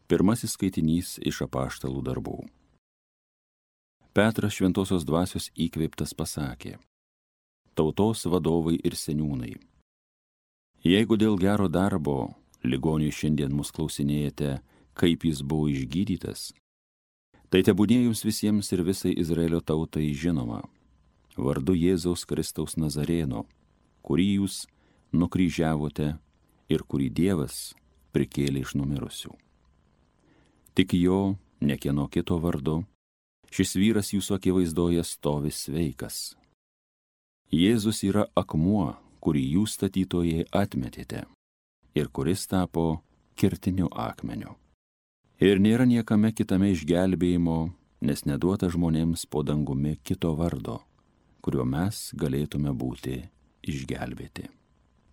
Pirmasis skaitinys iš apaštalų darbų. Petras šventosios dvasios įkvėptas pasakė: Tautos vadovai ir seniūnai, jeigu dėl gero darbo ligoniui šiandien mus klausinėjate, kaip jis buvo išgydytas, tai tebūnie jums visiems ir visai Izraelio tautai žinoma, vardu Jėzaus Kristaus Nazarėno, kurį jūs nukryžiavote ir kurį Dievas prikėlė iš numirusių. Tik jo, ne kieno kito vardu, šis vyras jūsų akivaizdoje stovi sveikas. Jėzus yra akmuo, kurį jūs statytojai atmetėte ir kuris tapo kertiniu akmeniu. Ir nėra niekame kitame išgelbėjimo, nes neduota žmonėms po dangumi kito vardo, kuriuo mes galėtume būti išgelbėti.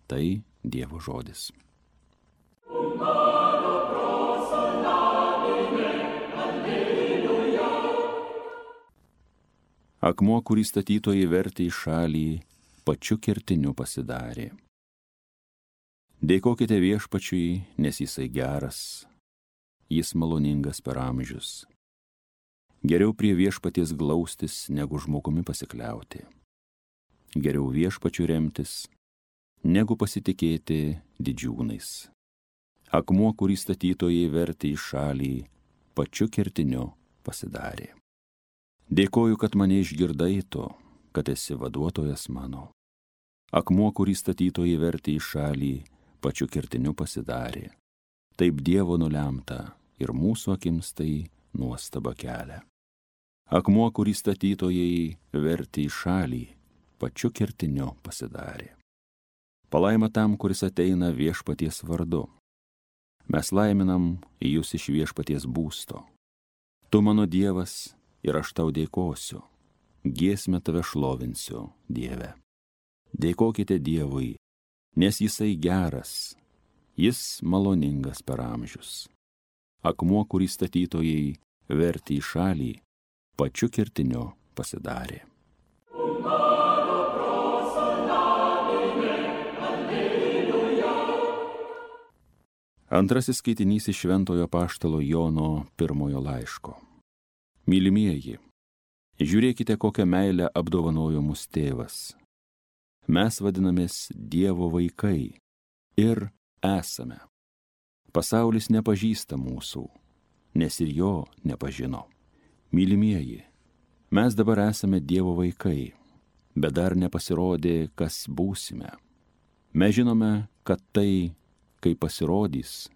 Tai Dievo žodis. Akmuo, kurį statytojai vertė į šalį, pačiu kertiniu pasidarė. Dėkokite Viešpačiui, nes jisai geras, jis maloningas per amžius. Geriau prie Viešpaties glaustis, negu žmogumi pasikliauti. Geriau Viešpačiu remtis, negu pasitikėti didžiūnais. Akmuo, kurį statytojai vertė į šalį, pačiu kertiniu pasidarė. Dėkoju, kad mane išgirdai to, kad esi vaduotojas mano. Akmuo, kurį statytojai vertė į šalį, pačiu kertiniu pasidarė. Taip Dievo nulemta ir mūsų akims tai nuostaba kelia. Akmuo, kurį statytojai vertė į šalį, pačiu kertiniu pasidarė. Palaima tam, kuris ateina Viešpaties vardu. Mes laiminam jūs iš Viešpaties būsto. Tu mano Dievas ir aš tau dėkosiu. Giesmę tave šlovinsiu, Dieve. Dėkokite Dievui, nes jisai geras, jis maloningas per amžius. Akmuo, kurį statytojai vertė į šalį, pačiu kertiniu pasidarė. Antrasis skaitinys iš Šventojo apaštalo Jono pirmojo laiško. Mylimieji, žiūrėkite, kokią meilę apdovanojo mus tėvas. Mes vadinamės Dievo vaikai ir esame. Pasaulis nepažįsta mūsų, nes ir jo nepažino. Mylimieji, mes dabar esame Dievo vaikai, bet dar nepasirodė, kas būsime. Mes žinome, kad tai, kai pasirodys,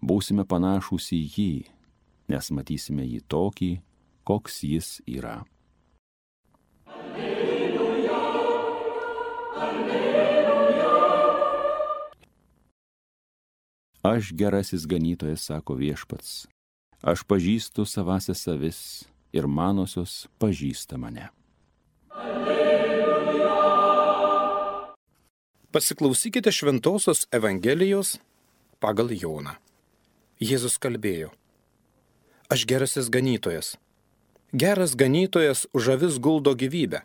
būsime panašūs į jį, nes matysime jį tokį, koks jis yra. Alleluja, alleluja. Aš gerasis ganytojas, sako Viešpats, aš pažįstu savąsias avis ir manosios pažįsta mane. Alleluja. Pasiklausykite Šventosios Evangelijos pagal Joną. Jėzus kalbėjo: Aš gerasis ganytojas. Geras ganytojas už avis guldo gyvybę.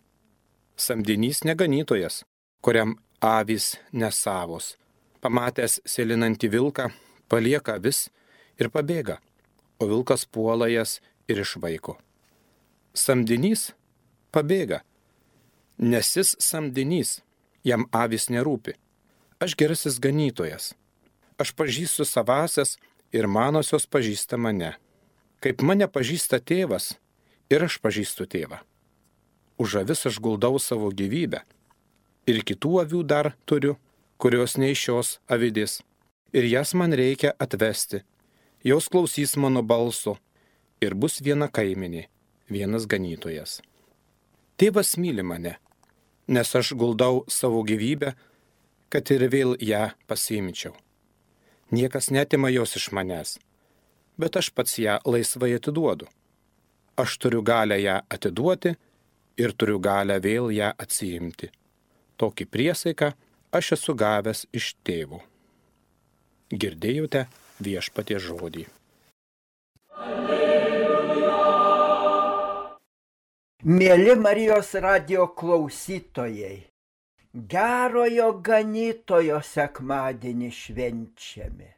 Samdinys neganytojas, kuriam avys nesavos. Pamatęs sėlinantį vilką, palieka avis ir pabėga, o vilkas puola jas ir išvaiko. Samdinys pabėga, nes jis samdinys, jam avys nerūpi. Aš gerasis ganytojas. Aš pažįstu savąsias ir manosios pažįsta mane. Kaip mane pažįsta tėvas, ir aš pažįstu tėvą. Už avis aš guldau savo gyvybę. Ir kitų avių dar turiu, kurios ne iš šios avidės. Ir jas man reikia atvesti. Jos klausys mano balso. Ir bus viena kaimenė, vienas ganytojas. Tėvas myli mane, nes aš guldau savo gyvybę, kad ir vėl ją pasiimčiau. Niekas netima jos iš manęs, bet aš pats ją laisvai atiduodu. Aš turiu galę ją atiduoti ir turiu galę vėl ją atsiimti. Tokį priesaiką aš esu gavęs iš tėvo. Girdėjote Viešpaties žodį. Alleluja. Mėly Marijos radijo klausytojai, gerojo ganytojo sekmadienį švenčiame.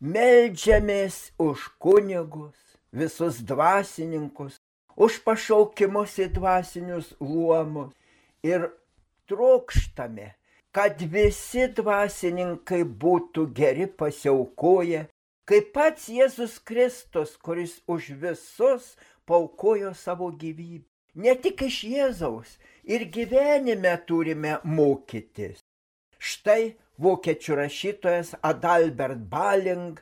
Meldžiamės už kunigus, visus dvasininkus, už pašaukimus į dvasinius luomus ir trokštame, kad visi dvasininkai būtų geri pasiaukoję, kaip pats Jėzus Kristus, kuris už visus paaukojo savo gyvybę. Ne tik iš Jėzaus, ir gyvenime turime mokytis. Štai vokiečių rašytojas Adalbert Baling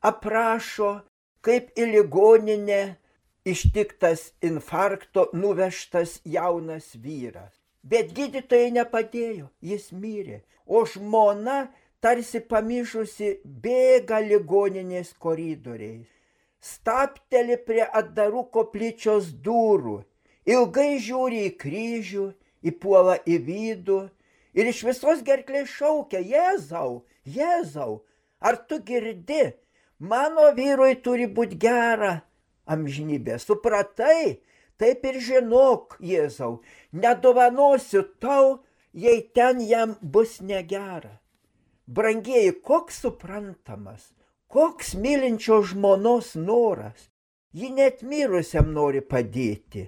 aprašo, kaip į ligoninę ištiktas infarkto nuvežtas jaunas vyras. Bet gydytojai nepadėjo, jis mirė, o žmona tarsi pamišusi bėga ligoninės koridoriais. Stapteli prie atdarų koplyčios durų, ilgai žiūri į kryžių, įpuola į vidų ir iš visos gerklės šaukia: Jėzau, Jėzau, ar tu girdi, mano vyrui turi būti gera amžinybė. Supratai? Taip ir žinok, Jėzau, nedovanosiu tau, jei ten jam bus negera. Brangieji, koks suprantamas, koks mylinčio žmonos noras. Ji net mirusiam nori padėti.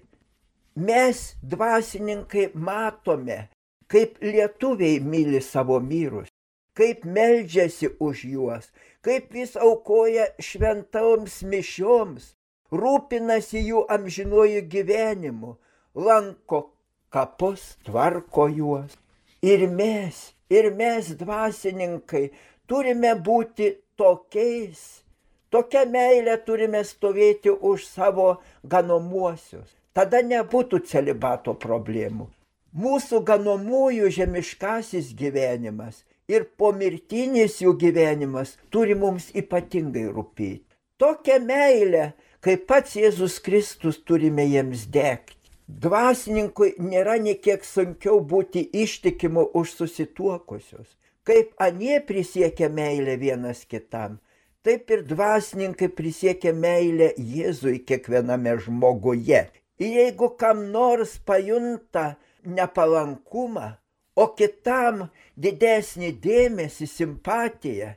Mes, dvasininkai, matome, kaip lietuviai myli savo mirus, kaip meldžiasi už juos, kaip vis aukoja šventoms mišioms, rūpinasi jų amžinuoju gyvenimu, lanko kapus, tvarko juos. Ir mes, dvasininkai, turime būti tokiais. Tokia meilė turime stovėti už savo ganomuosius. Tada nebūtų celibato problemų. Mūsų ganomųjų žemiškasis gyvenimas ir pomirtinis jų gyvenimas turi mums ypatingai rūpėti. Tokią meilę, kaip pats Jėzus Kristus, turime jiems degti. Dvasininkui nėra niekiek sunkiau būti ištikimu už susituokusius. Kaip anie prisiekia meilę vienas kitam, taip ir dvasininkai prisiekia meilę Jėzui kiekviename žmoguje. Ir jeigu kam nors pajunta nepalankumą, o kitam didesnį dėmesį, simpatiją,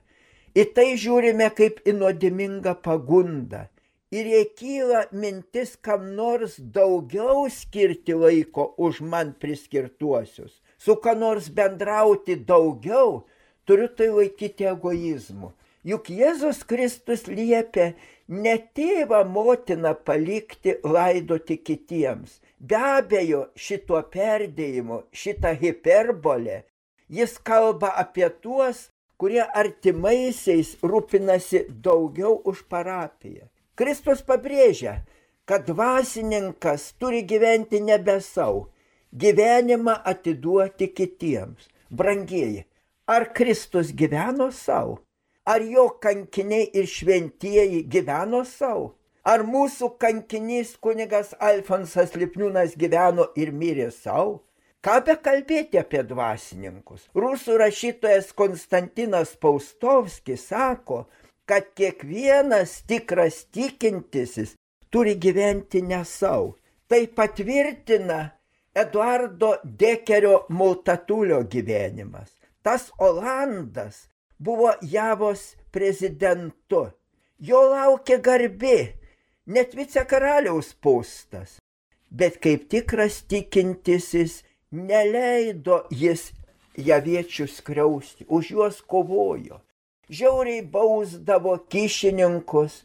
į tai žiūrime kaip į nuodėmingą pagundą. Ir jei kyla mintis kam nors daugiau skirti laiko už man priskirtuosius, su ką nors bendrauti daugiau, turiu tai laikyti egoizmu. Juk Jėzus Kristus liepia ne tėvą motiną palikti laidoti kitiems. Be abejo, šituo perdėjimu, šitą hiperbolę, jis kalba apie tuos, kurie artimaisiais rūpinasi daugiau už parapiją. Kristus pabrėžia, kad dvasininkas turi gyventi nebe savo, gyvenimą atiduoti kitiems. Brangieji, ar Kristus gyveno savo? Ar jo kankiniai ir šventieji gyveno savo? Ar mūsų kankinys kunigas Alfonsas Lipniūnas gyveno ir mirė savo? Ką bekalbėti apie dvasininkus? Rusų rašytojas Konstantinas Paustovskis sako, kad kiekvienas tikras tikintysis turi gyventi ne savo. Tai patvirtina Eduardo Dekerio Multatulio gyvenimas. Tas Olandas buvo Javos prezidentu. Jo laukia garbė, net vicekaraliaus postas. Bet kaip tikras tikintysis neleido jis javiečių skriausti, už juos kovojo. Žiauriai bausdavo kyšininkus,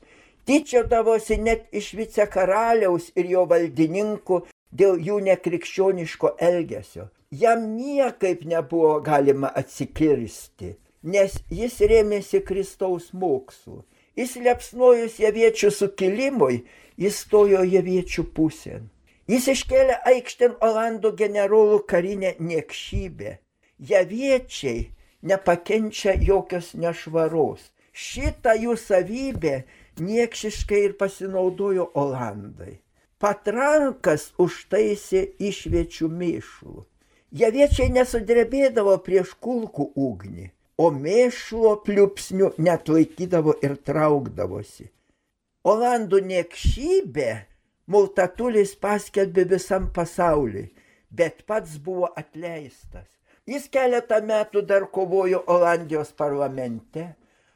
tyčiodavosi net iš vicekaraliaus ir jo valdininkų dėl jų nekrikščioniško elgesio. Jam niekaip nebuvo galima atsikirsti, nes jis rėmėsi Kristaus mokslu. Įsiliepsnojus javiečių sukilimui, jis stojo javiečių pusėn. Jis iškėlė aikštėn Olandų generolų karinę niekšybę. Javiečiai nepakenčia jokios nešvaros. Šitą jų savybę niekšiškai ir pasinaudojo Olandai. Patrankas užtaisė išviečių mėšlų. Javiečiai nesudrebėdavo prieš kulkų ugnį, o mėšlo pliupsnių net laikydavo ir traukdavosi. Olandų niekšybę Multatulis paskelbė visam pasauliui, bet pats buvo atleistas. Jis keletą metų dar kovojo Olandijos parlamente,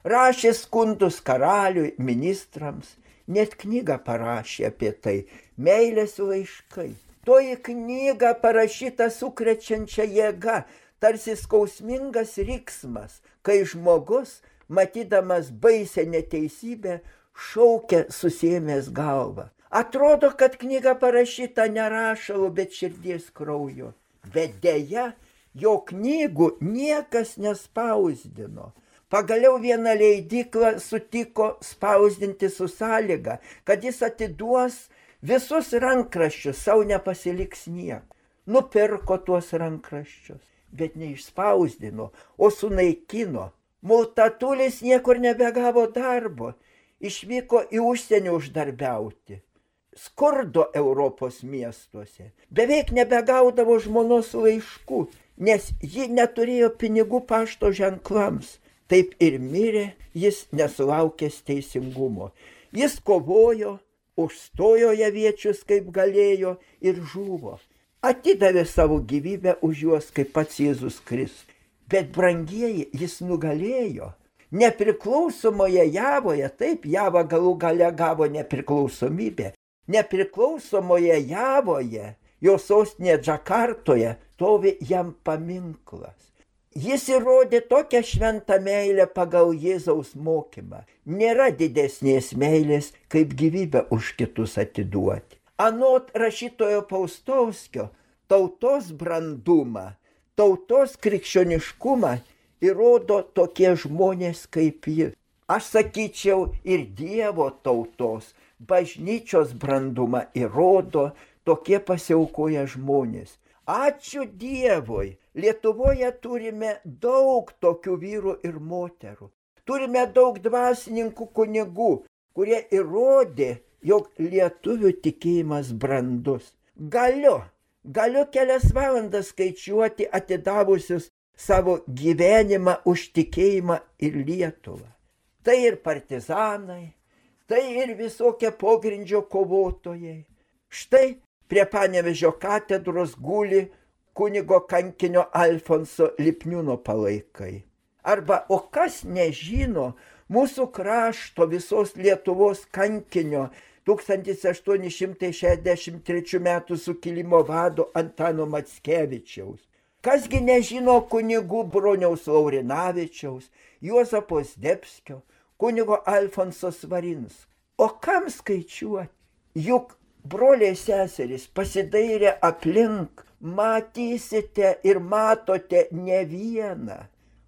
rašė skundus karaliui, ministrams, net knygą parašė apie tai, meilės laiškai. Toji knyga parašyta sukrečiančia jėga, tarsi skausmingas riksmas, kai žmogus, matydamas baisę neteisybę, šaukia susiėmęs galvą. Atrodo, kad knyga parašyta ne rašalu, bet širdies krauju. Bet deja, jo knygų niekas nespausdino. Pagaliau viena leidykla sutiko spausdinti su sąlyga, kad jis atiduos visus rankraščius, savo nepasiliks nieko. Nupirko tuos rankraščius, bet neišspausdino, o sunaikino. Multatulis niekur nebegavo darbo, išvyko į užsienį uždarbiauti. Skurdo Europos miestuose. Beveik nebegaudavo žmonos laiškų, nes ji neturėjo pinigų pašto ženklams. Taip ir mirė jis nesulaukęs teisingumo. Jis kovojo, užstojo javiečius kaip galėjo ir žuvo. Atidavė savo gyvybę už juos kaip pats Jėzus Kristus. Bet brangieji, jis nugalėjo. Nepriklausomoje Javoje, taip Java galų gale gavo nepriklausomybę. Nepriklausomoje Javoje, jo sostinėje Džakartoje, stovi jam paminklas. Jis įrodė tokią šventą meilę pagal Jėzaus mokymą. Nėra didesnės meilės, kaip gyvybę už kitus atiduoti. Anot rašytojo Paustovskio, tautos brandumą, tautos krikščioniškumą įrodo tokie žmonės kaip jis. Aš sakyčiau, ir Dievo tautos, bažnyčios brandumą įrodo tokie pasiaukoję žmonės. Ačiū Dievui, Lietuvoje turime daug tokių vyrų ir moterų. Turime daug dvasininkų kunigų, kurie įrodė, jog lietuvių tikėjimas brandus. Galiu kelias valandas skaičiuoti atidavusius savo gyvenimą už tikėjimą ir Lietuvą. Tai ir partizanai, tai ir visokie pogrindžio kovotojai. Štai prie Panevėžio katedros guli kunigo kankinio Alfonso Lipniūno palaikai. Arba, o kas nežino mūsų krašto visos Lietuvos kankinio 1863 metų sukilimo vado Antano Mackevičiaus. Kasgi nežino kunigų Broniaus Laurinavičiaus, Juozapo Zdebskio, kunigo Alfonso Svarinsko. O kam skaičiuoti? Juk broliai seserys pasidairę aplink, matysite ir matote ne vieną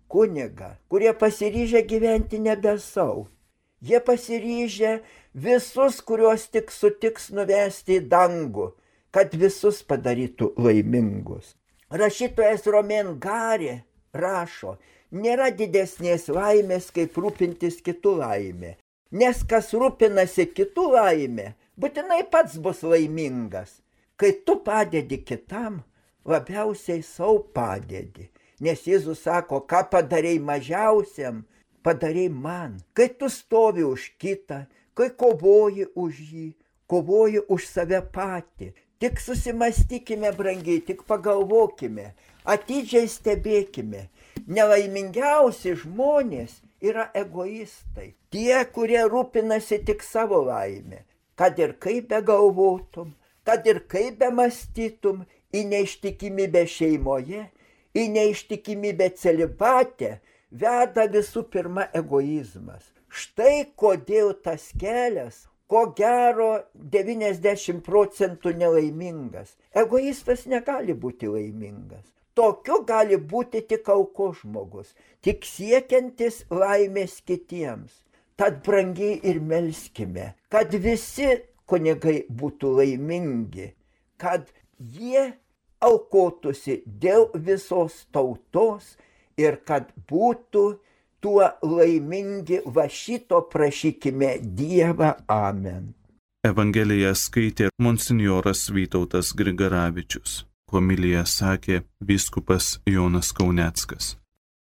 kunigą, kurie pasiryžę gyventi nebe savo. Jie pasiryžę visus, kuriuos tik sutiks nuvesti į dangų, kad visus padarytų laimingus. Rašytojas Romain Gary rašo, nėra didesnės laimės, kaip rūpintis kitų laimė, nes kas rūpinasi kitų laimė, būtinai pats bus laimingas. Kai tu padedi kitam, labiausiai savo padedi. Nes Jėzus sako, ką padarei mažiausiam, padarei man. Kai tu stovi už kitą, kai kovoji už jį, kovoji už save patį. Tik susimastykime, brangiai, tik pagalvokime, atidžiai stebėkime. Nelaimingiausi žmonės yra egoistai. Tie, kurie rūpinasi tik savo laimę. Kad ir kaip begalvotum, kad ir kaip bemąstytum, į neištikimybę šeimoje, į neištikimybę celibate veda visų pirma egoizmas. Štai kodėl tas kelias, ko gero 90% nelaimingas. Egoistas negali būti laimingas. Tokiu gali būti tik aukos žmogus, tik siekiantis laimės kitiems. Tad brangiai ir melskime, kad visi kunigai būtų laimingi, kad jie aukotųsi dėl visos tautos ir kad būtų tuo laimingi. Va šito prašykime Dievą. Amen. Evangeliją skaitė monsinjoras Vytautas Grigaravičius. Homiliją sakė vyskupas Jonas Kauneckas.